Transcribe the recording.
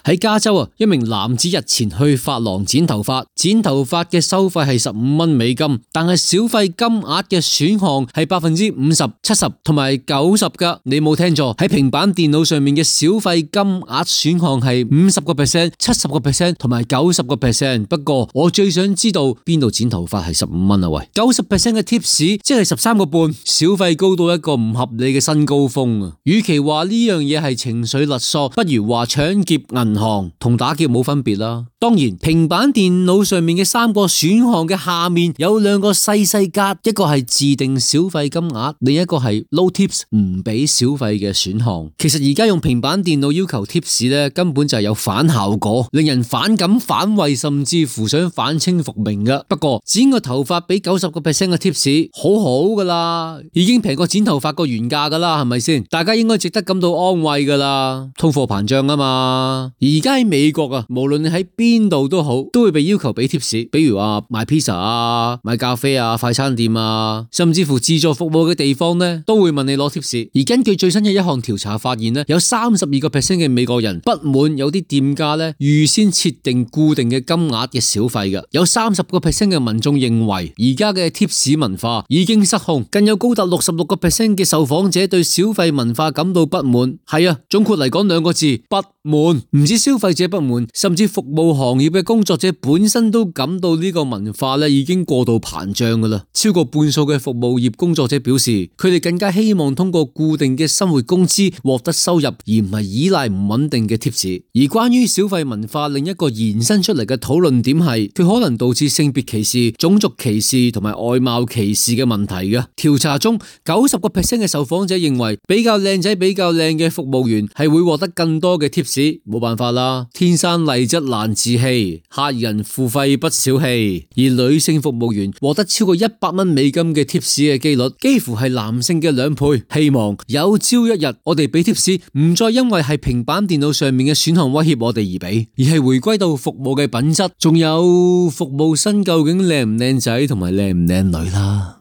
喺加州啊，一名男子日前去髮廊剪頭髮，剪頭髮嘅收費係$15，但係小費金額嘅選項係50%、70%同埋90%噶。你冇聽錯，喺平板電腦上面嘅小費金額選項係50%、70%同埋90%。不過我最想知道邊度剪頭髮係$15啊？喂，90% 嘅 tips 即係13.5，小費高到一個唔合理嘅新高峰啊！與其話呢樣嘢係情緒勒索，不如話搶劫銀行，同打劫冇分別啦。當然，平板電腦上面嘅3個選項嘅下面有2個細細格，一個係自定小費金額，另一個係 no tips 唔俾小費嘅選項。其實而家用平板電腦要求 tips 咧，根本就係有反效果，令人反感、反胃，甚至乎想反清復明噶。不過剪個頭髮俾90% 嘅 tips 好好噶啦，已經平過剪頭髮個原價噶啦，係咪先？大家應該值得感到安慰噶啦。通貨膨脹啊嘛，而家喺美國啊，無論你喺邊度都好，都會被要求俾 tips。比如話賣 pizza 啊、賣咖啡啊、快餐店啊，甚至乎自助服務嘅地方呢，都會問你攞 tips。而根據最新嘅一項調查發現呢，有32% 嘅美國人不滿有啲店家呢預先設定固定嘅金額嘅小費嘅，有30% 嘅民眾認為而家嘅 tips 文化已經失控，更有高達66% 嘅受訪者對小費文化感到不滿。係啊，總括嚟講2個字：不滿。唔止消費者不滿，甚至服務行業嘅工作者本身都感到呢個文化咧已經過度膨脹噶啦。超過半數嘅服務業工作者表示，佢哋更加希望通過固定嘅生活工資獲得收入，而唔係依賴唔穩定嘅 tips。而關於小費文化另一個延伸出嚟嘅討論點係，佢可能導致性別歧視、種族歧視同埋外貌歧視嘅問題嘅。調查中90% 嘅受訪者認為比較靚仔、比較靚嘅服務員係會獲得更多嘅 tips。冇辦法啦，天生麗質難自棄，客人付費不小氣。而女性服務員獲得超過$100嘅 tips 嘅幾率，幾乎係男性嘅2倍。希望有朝一日我哋俾 tips 唔再因為係平板電腦上面嘅選項威脅我哋而俾，而係回歸到服務嘅品質，仲有服務生究竟靚唔靚仔同埋靚唔靚女啦。